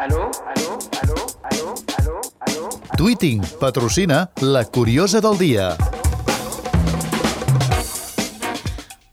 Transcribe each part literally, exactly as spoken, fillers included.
Aló, aló, aló, aló, aló, aló. Tweeting patrocina La Curiosa del Dia.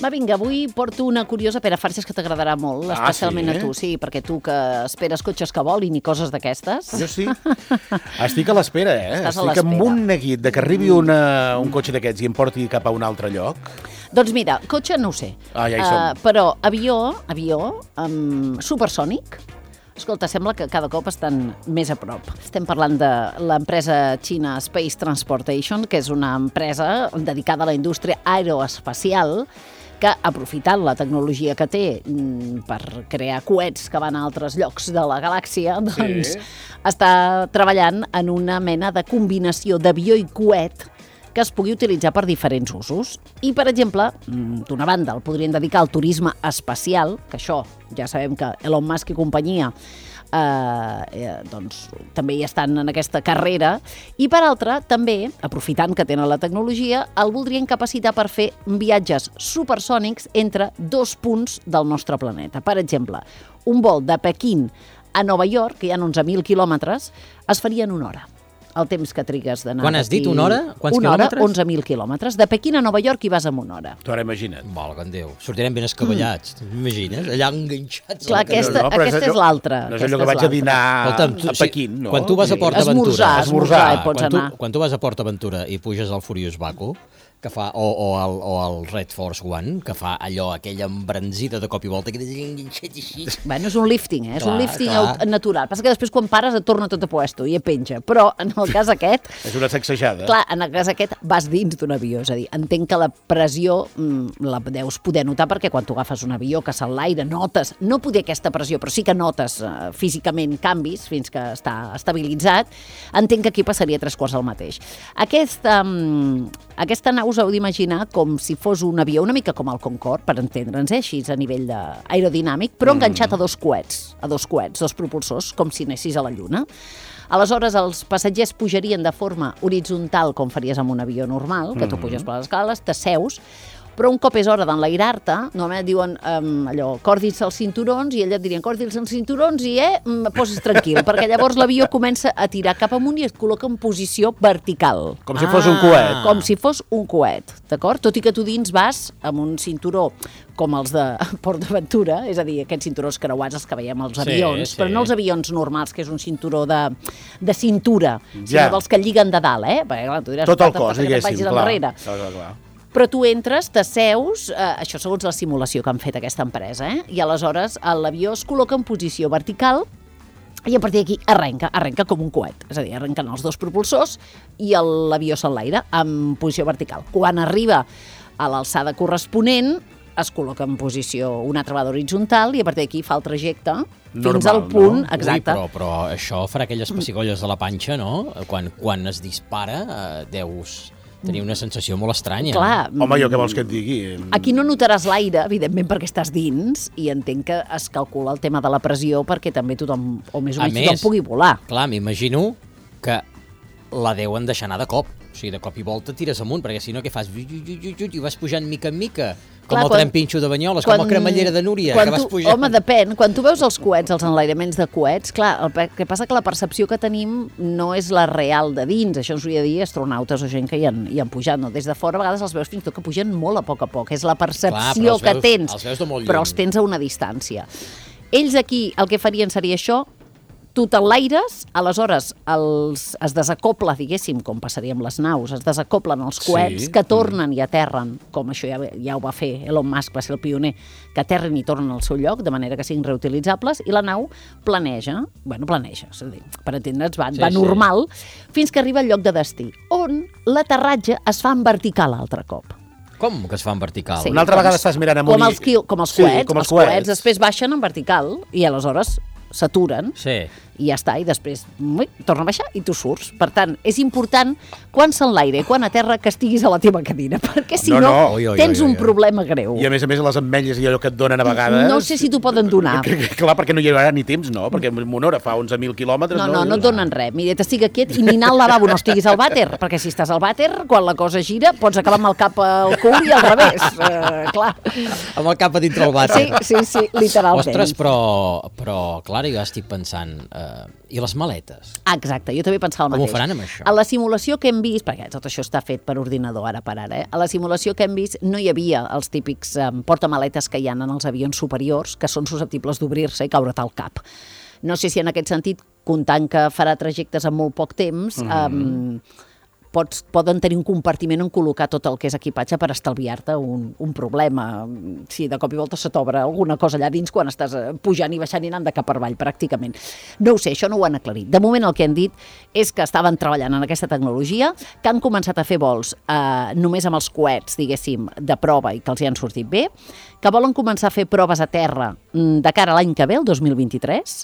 Va, vinga, avui porto una curiosa per a farses que t'agradarà molt, Ah, especialment sí? a tu, sí, perquè tu que esperes cotxes que volin i coses d'aquestes. Jo sí. Estic a l'espera, eh? Estàs a Estic amb l'espera. un neguit de que arribi una, un cotxe d'aquests i em porti cap a un altre lloc. Doncs mira, cotxe no ho sé, Ah, ja hi som. uh, però avió, avió, um, supersònic, escolta, sembla que cada cop estan més a prop. Estem parlant de l'empresa China Space Transportation, que és una empresa dedicada a la indústria aeroespacial, que, aprofitant la tecnologia que té mm, per crear coets que van a altres llocs de la galàxia, doncs Sí. està treballant en una mena de combinació d'avió i coet que es pugui utilitzar per diferents usos. I, per exemple, mm, d'una banda, el podrien dedicar al turisme espacial, que això ja sabem que Elon Musk i companyia eh, eh, doncs, també hi estan en aquesta carrera, i per altra, també, aprofitant que tenen la tecnologia, el voldrien capacitar per fer viatges supersònics entre dos punts del nostre planeta. Per exemple, un vol de Pequín a Nova York, que hi ha onze mil quilòmetres, es faria en una hora. El temps que trigues d'anar... Quan has dit una hora? Quants una hora, quilòmetres? onze mil quilòmetres. De Pequín a Nova York hi vas en una hora. Tu ara imagina't. Valga'm Déu, sortirem ben escabellats, t'imagines? Allà enganxats. Clar, a la cadira. aquesta, no, però és aquesta és allò- l'altra. No és aquesta allò que és vaig a l'altra. dinar Escolta'm, tu- a sí, Pequín, no? quan tu vas a Port Esmorzar, Aventura... esmorzar, hi pots quan tu, anar. quan tu vas a Port Aventura i puges al Furious Baku, que fa, o, o, al, o al Red Force One, que fa allò, aquella embranzida de cop i volta, que t'has enganxat així... Bueno, és un lifting, eh? És Clar, un lifting clar. aut- natural. Passa que després quan pares et torna tot a puesto i et penja. Però en el cas aquest, És una sacsejada. clar, en el cas aquest vas dins d'un avió. És a dir, entenc que la pressió mm, la deus poder notar perquè quan tu agafes un avió que s'enlaira, notes, no poder aquesta pressió, però sí que notes eh, físicament canvis fins que està estabilitzat. Entenc que aquí passaria tres quarts al mateix. Aquesta, mm, aquesta nau us heu d'imaginar com si fos un avió, una mica com el Concorde, per entendre'ns, eh, així a nivell de aerodinàmic, però enganxat a dos coets, a dos coets, dos propulsors, com si anessis a la Lluna. Aleshores, els passatgers pujarien de forma horitzontal, com faries amb un avió normal, que tu puges per les escales, t'asseus, però un cop és hora d'enlairar-te, normalment et diuen um, allò, cordis els cinturons, i ella et dirien, cordis els cinturons, i eh, mm, posis tranquil, perquè llavors l'avió comença a tirar cap amunt i es col·loca en posició vertical. Com si fos un coet. Com si fos un coet, d'acord? Tot i que tu dins vas amb un cinturó com els de Port Aventura, és a dir, aquests cinturons creuats els que veiem als Sí, avions, sí. però no els avions normals, que és un cinturó de, de cintura, Ja. sinó dels que lliguen de dalt, eh? Perquè, clar, tu diràs, Tot el "Falta cos, que te'n diguéssim, vagis clar. endarrere". Clar, clar, clar. Però tu entres, t'asseus, eh, això segons la simulació que han fet aquesta empresa, eh? I aleshores l'avió es col·loca en posició vertical i a partir d'aquí arrenca, arrenca com un coet. És a dir, arrenquen els dos propulsors i el- l'avió s'enlaira en posició vertical. Quan arriba a l'alçada corresponent, es col·loca en posició una altra vegada horitzontal i a partir d'aquí fa el trajecte fins Normal, al punt, no? exacte. Ui, però, però això farà aquelles pessigolles de la panxa, no? Quan, quan es dispara, eh, deus tenir una sensació molt estranya. Clar, Home, jo què vols que et digui? aquí no notaràs l'aire, evidentment, perquè estàs dins, i entenc que es calcula el tema de la pressió perquè també tothom, o més o A menys més, tothom pugui volar. Clar, m'imagino que la deuen deixar anar de cop. O sigui, de cop i volta tires amunt, perquè si no, què fas? I vas pujant mica en mica, com Clar, el quan- tren pinxo de Banyoles, com la cremallera de Núria, quan que vas tu, pujant. Home, depèn. Quan tu veus els coets, els enlairaments de coets, clar, el pe- que passa que la percepció que tenim no és la real de dins. Això ens ho hauria de dir astronautes o gent que hi han, hi han pujat. No? Des de fora, a vegades els veus fins i tot que pugen molt a poc a poc. És la percepció Clar, però els que veus- tens, els veus de molt però lluny. els tens a una distància. Ells aquí el que farien seria això, tu t'enlaires, aleshores els, es desacopla, diguéssim, com passaria amb les naus, es desacoplen els coets Sí. que tornen i aterren, com això ja, ja ho va fer Elon Musk, va ser el pioner, que aterren i tornen al seu lloc, de manera que siguin reutilitzables, i la nau planeja, bueno, planeja, és a dir, per entendre'ns, va, Sí, va sí. normal, fins que arriba al lloc de destí, on l'aterratge es fa en vertical altre cop. Com que es fa en vertical? Sí. Una altra doncs, vegada estàs mirant amunt Com i- els, qui- com els Sí, coets, com els els coets coets. després baixen en vertical, i aleshores s'aturen, Sí. i ja està, i després ui, torna a baixar i tu surts. Per tant, és important quan s'enlaire i quan a terra que estiguis a la teva cadira, perquè si No, no, no. Ui, ui, tens ui, ui, un ui. problema greu. I a més a més les ametlles i allò que et donen a vegades... No sé si t'ho poden donar. Que, que, clar, perquè no hi haurà ni temps, no? Perquè en una hora fa onze mil quilòmetres... No, no, no et donen res. Mira, t'estiga quiet i ni anar al lavabo no estiguis al vàter, perquè si estàs al vàter, quan la cosa gira, pots acabar amb el cap al cul i al revés. Uh, clar. Amb el cap a dintre el vàter. Sí, sí, sí, literalment. Ostres, però, però clar, ara jo estic pensant, eh, i les maletes? Ah, exacte, jo també pensava el Com ho mateix. faran amb això? A la simulació que hem vist, perquè tot això està fet per ordinador ara per ara, eh? A la simulació que hem vist no hi havia els típics eh, portamaletes que hi ha en els avions superiors, que són susceptibles d'obrir-se i caure't al cap. No sé si en aquest sentit, comptant que farà trajectes en molt poc temps, mm. eh, pots, poden tenir un compartiment on col·locar tot el que és equipatge per estalviar-te un, un problema. Si de cop i volta se t'obre alguna cosa allà dins quan estàs pujant i baixant i anant de cap per avall, pràcticament. No ho sé, això no ho han aclarit. De moment el que han dit és que estaven treballant en aquesta tecnologia, que han començat a fer vols eh, només amb els coets, diguéssim, de prova i que els hi han sortit bé, que volen començar a fer proves a terra de cara a l'any que ve, el dos mil vint-i-tres,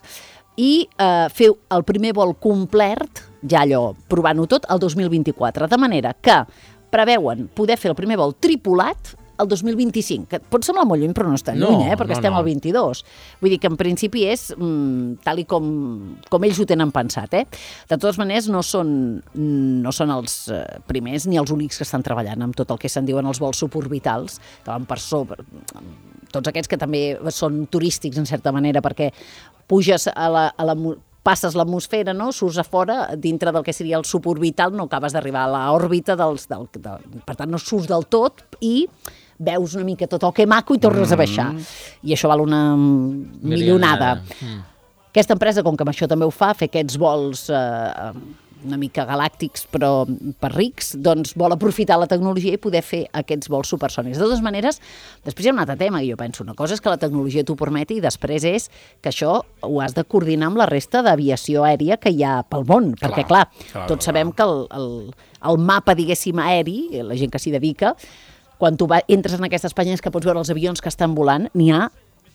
i eh, fer el primer vol complet, ja allò, provant-ho tot, el dos mil vint-i-quatre. De manera que preveuen poder fer el primer vol tripulat el dos mil vint-i-cinc, que pot semblar molt lluny, però no és tan No, lluny, eh? perquè no, estem no. al vint-i-dos. Vull dir que en principi és mm, tal i com, com ells ho tenen pensat. Eh? De totes maneres, no són, no són els eh, primers ni els únics que estan treballant amb tot el que se'n diuen els vols suborbitals, que van per sobre, tots aquests que també són turístics, en certa manera, perquè puges a la, a la passes l'atmosfera, no? Surts a fora, dintre del que seria el suborbital, no acabes d'arribar a l'òrbita, dels, del, del, per tant no surts del tot i veus una mica tot el que maco i tornes a baixar. I això val una milionada. Mm. Aquesta empresa, com que amb això també ho fa, fer aquests vols eh, una mica galàctics però per rics, doncs vol aprofitar la tecnologia i poder fer aquests vols supersònics. De totes maneres, després hi ha un altre tema, i jo penso, una cosa és que la tecnologia t'ho permeti i després és que això ho has de coordinar amb la resta d'aviació aèria que hi ha pel món, clar, perquè clar, clar tots clar. sabem que el, el, el mapa, diguéssim, aeri, la gent que s'hi dedica, quan tu va, entres en aquestes pàgines que pots veure els avions que estan volant, n'hi ha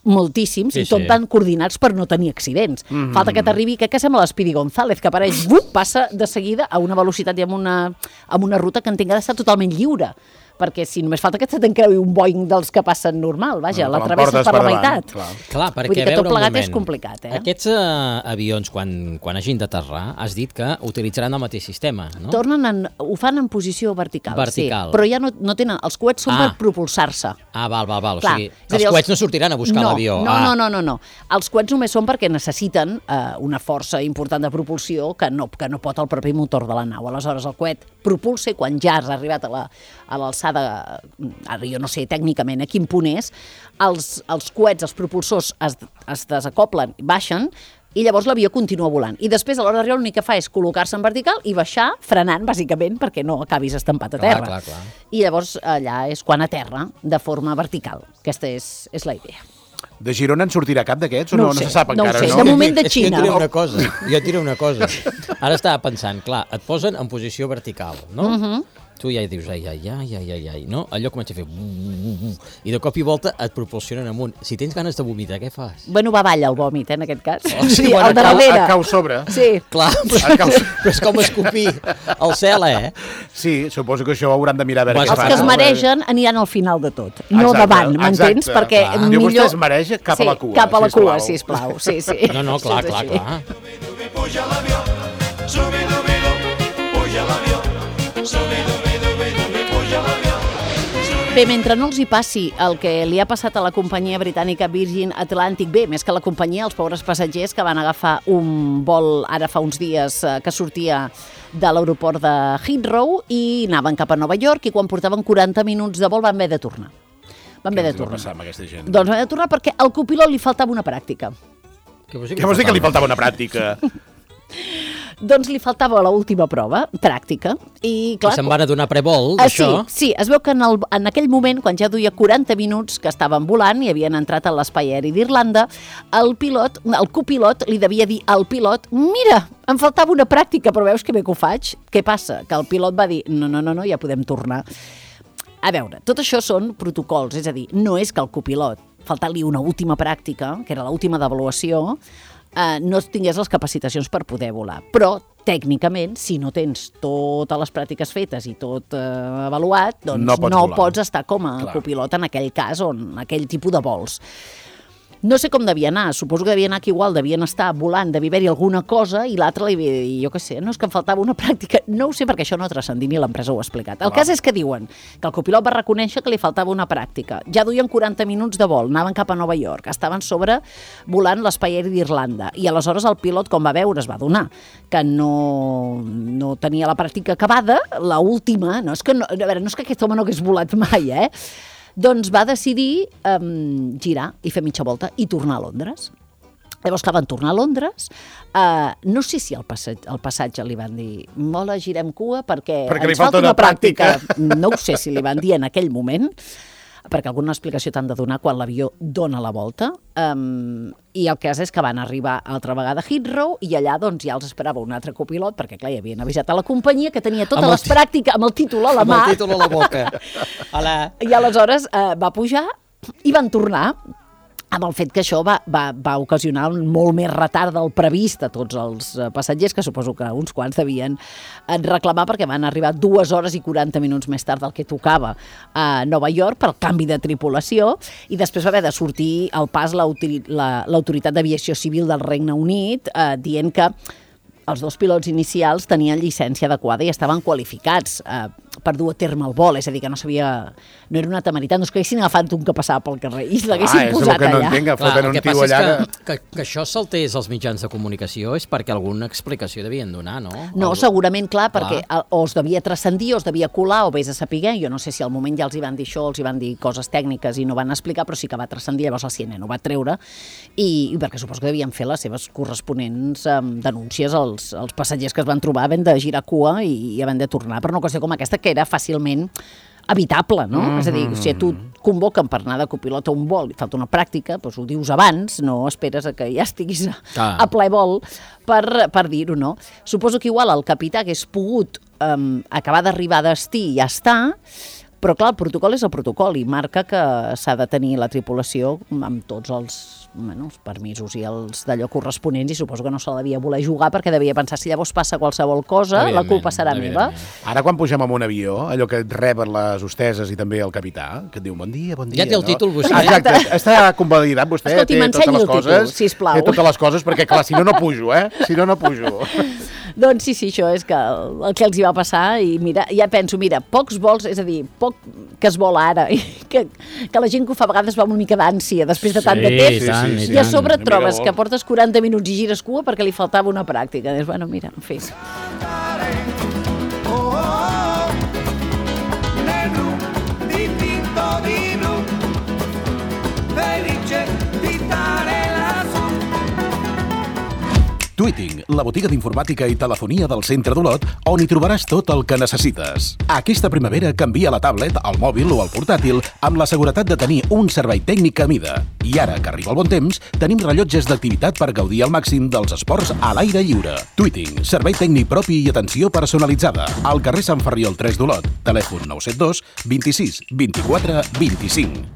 moltíssims, sí, i tot sí. tan coordinats per no tenir accidents. Mm -hmm. Falta que t'arribi, que, que sembla l'Speedy González, que apareix, bup, passa de seguida a una velocitat i amb una, amb una ruta que en tinga d'estar totalment lliure. Perquè si només falta que se t'encreui un Boeing dels que passen normal, vaja, no, la travesses per, per la meitat. Clar, clar perquè vull dir que a veure tot plegat un moment, és complicat. Eh? Aquests uh, avions, quan, quan hagin d'aterrar, has dit que utilitzaran el mateix sistema, no? Tornen en, ho fan en posició vertical, vertical. sí, però ja no, no tenen, els coets són ah. per propulsar-se. Ah, val, val, val. Clar, o sigui, els dir, coets no sortiran a buscar no, l'avió. No, ah. no, no, no, no. Els coets només són perquè necessiten eh, una força important de propulsió que no, que no pot el propi motor de la nau. Aleshores, el coet propulsa i quan ja has arribat a l'alçada, ara jo no sé tècnicament a quin punt és, els, els coets, els propulsors es, es desacoplen, baixen, i llavors l'avió continua volant. I després, a l'hora d'arribar, l'únic que fa és col·locar-se en vertical i baixar, frenant, bàsicament, perquè no acabis estampat a terra. Clar, clar, clar. I llavors allà és quan aterra de forma vertical. Aquesta és, és la idea. De Girona en sortirà cap d'aquests o no, no, no sé, se sap no encara? Sé. No, de moment de És Xina. que jo et diré una cosa, jo et diré una cosa. Ara estava pensant, clar, et posen en posició vertical, no? Uh -huh. Tu ja dius, ai, ai, ai, ai, ai, ai, no? Allò comença a fer... I de cop i volta et propulsionen amunt. Si tens ganes de vomitar, què fas? Bueno, va avall el vòmit, eh, en aquest cas. Oh, sí, sí, bueno, el de cau, darrere. et cau sobre. Sí. Clar, però, cau... però és com escopir al cel, eh? Sí, suposo que això ho hauran de mirar a veure Vas què Els fan. que es no? maregen aniran al final de tot, no Exacte, davant, m'entens? exacte. Perquè Clar. Diu, millor... vostè es mareja cap sí, a la cua, cap a la sisplau. cua, sisplau. Sí, sí. No, no, clar, Això és clar, així. clar. Puja l'avió, subi-dubi-du, puja l'avió, subi-dubi-dubi-dubi, puja l'avió. Bé, mentre no els hi passi el que li ha passat a la companyia britànica Virgin Atlantic, bé, més que la companyia, els pobres passatgers que van agafar un vol ara fa uns dies eh, que sortia de l'aeroport de Heathrow i anaven cap a Nova York i quan portaven quaranta minuts de vol van haver de tornar. Van haver de Què va tornar. passar amb aquesta gent? Doncs van haver de tornar perquè al copilot li faltava una pràctica. Què vols dir Què vols dir que li faltava una pràctica? Doncs li faltava l'última prova, pràctica, i clar... I se'n van a donar prevol, Ah, d'això? sí, sí, es veu que en, el, en aquell moment, quan ja duia quaranta minuts que estaven volant i havien entrat a l'espai aeri d'Irlanda, el pilot, el copilot li devia dir al pilot, mira, em faltava una pràctica, però veus que bé que ho faig? Què passa? Que el pilot va dir, no, no, no, no ja podem tornar. A veure, tot això són protocols, és a dir, no és que el copilot, faltant-li una última pràctica, que era l'última d'avaluació, eh, no tingués les capacitacions per poder volar. Però, tècnicament, si no tens totes les pràctiques fetes i tot eh, avaluat, doncs No no pots pots, volar. estar com a Clar. copilot en aquell cas o en aquell tipus de vols. No sé com devia anar, suposo que devia anar que igual devien estar volant, devia haver-hi alguna cosa i l'altre, jo què sé, no és que em faltava una pràctica, no ho sé perquè això no ha transcendit ni l'empresa ho ha explicat. El ah. cas és que diuen que el copilot va reconèixer que li faltava una pràctica. Ja duien quaranta minuts de vol, anaven cap a Nova York, estaven sobre volant l'espai aeri d'Irlanda i aleshores el pilot, com va veure, es va adonar que no, no tenia la pràctica acabada, la última, no és que, no, a veure, no és que aquest home no hagués volat mai, eh? Doncs va decidir um, girar i fer mitja volta i tornar a Londres. Llavors, clar, van tornar a Londres. Uh, no sé si al passatge, al passatge li van dir mola, girem cua perquè, perquè ens falta una pràctica. pràctica. No ho sé si li van dir en aquell moment, perquè alguna explicació t'han de donar quan l'avió dona la volta. Um, I el cas és que van arribar altra vegada a Heathrow i allà doncs, ja els esperava un altre copilot, perquè clar, ja havien avisat a la companyia que tenia totes les pràctiques amb el títol a la mà. Amb el títol a la boca. Hola. I aleshores uh, va pujar i van tornar, amb el fet que això va, va, va ocasionar un molt més retard del previst a tots els passatgers, que suposo que uns quants devien reclamar perquè van arribar dues hores i quaranta minuts més tard del que tocava a Nova York pel canvi de tripulació i després va haver de sortir al pas l'Autoritat d'Aviació Civil del Regne Unit eh, dient que els dos pilots inicials tenien llicència adequada i estaven qualificats eh, per dur a terme el vol, és a dir, que no sabia, no era una temeritat, no és que haguessin agafat un que passava pel carrer i l'haguessin ah, posat allà. Ah, és el que no entenc, foten un tio allà. Que, que, que això saltés als mitjans de comunicació és perquè alguna explicació devien donar, no? No, el... segurament, clar, clar, perquè o es devia transcendir, o es devia colar, o vés a saber, jo no sé si al moment ja els hi van dir això, els hi van dir coses tècniques i no van explicar, però sí que va transcendir, llavors el C N N ho va treure, i, i perquè suposo que devien fer les seves corresponents um, denúncies als, als passatgers que es van trobar havent de girar cua i, i havent de tornar per una qüestió com aquesta que era fàcilment evitable, no? Mm-hmm. És a dir, si tu et convoquen per anar de copilot a un vol i falta una pràctica, doncs ho dius abans, no esperes a que ja estiguis a, ah. a ple vol per, per dir-ho, no? Suposo que igual el capità hagués pogut um, acabar d'arribar a destí i ja està, però clar, el protocol és el protocol i marca que s'ha de tenir la tripulació amb tots els, bueno, els permisos i els d'allò corresponents i suposo que no se la devia voler jugar perquè devia pensar si llavors passa qualsevol cosa, la culpa serà meva. Ara quan pugem en un avió, allò que et reben les hosteses i també el capità, que et diu bon dia, bon dia. Ja té el no? títol vostè. Exacte, està convalidat vostè, Escolti, té totes les coses, títol, sisplau. té totes les coses perquè clar, si no, no pujo, eh? Si no, no pujo. Doncs sí, sí, això és que el que els hi va passar i mira, ja penso, mira, pocs vols, és a dir, poc que es vola ara, i que, que la gent que ho fa a vegades va una mica d'ànsia després de tant sí, de temps, i, tant, i, i a sobre et trobes que portes quaranta minuts i gires cua perquè li faltava una pràctica. Dius, bueno, mira, en fi. Tweeting, la botiga d'informàtica i telefonia del centre d'Olot, on hi trobaràs tot el que necessites. Aquesta primavera canvia la tablet, el mòbil o el portàtil amb la seguretat de tenir un servei tècnic a mida. I ara que arriba el bon temps, tenim rellotges d'activitat per gaudir al màxim dels esports a l'aire lliure. Tweeting, servei tècnic propi i atenció personalitzada. Al carrer Sant Ferriol tres d'Olot. Telèfon nou set dos, vint-i-sis, vint-i-quatre, vint-i-cinc.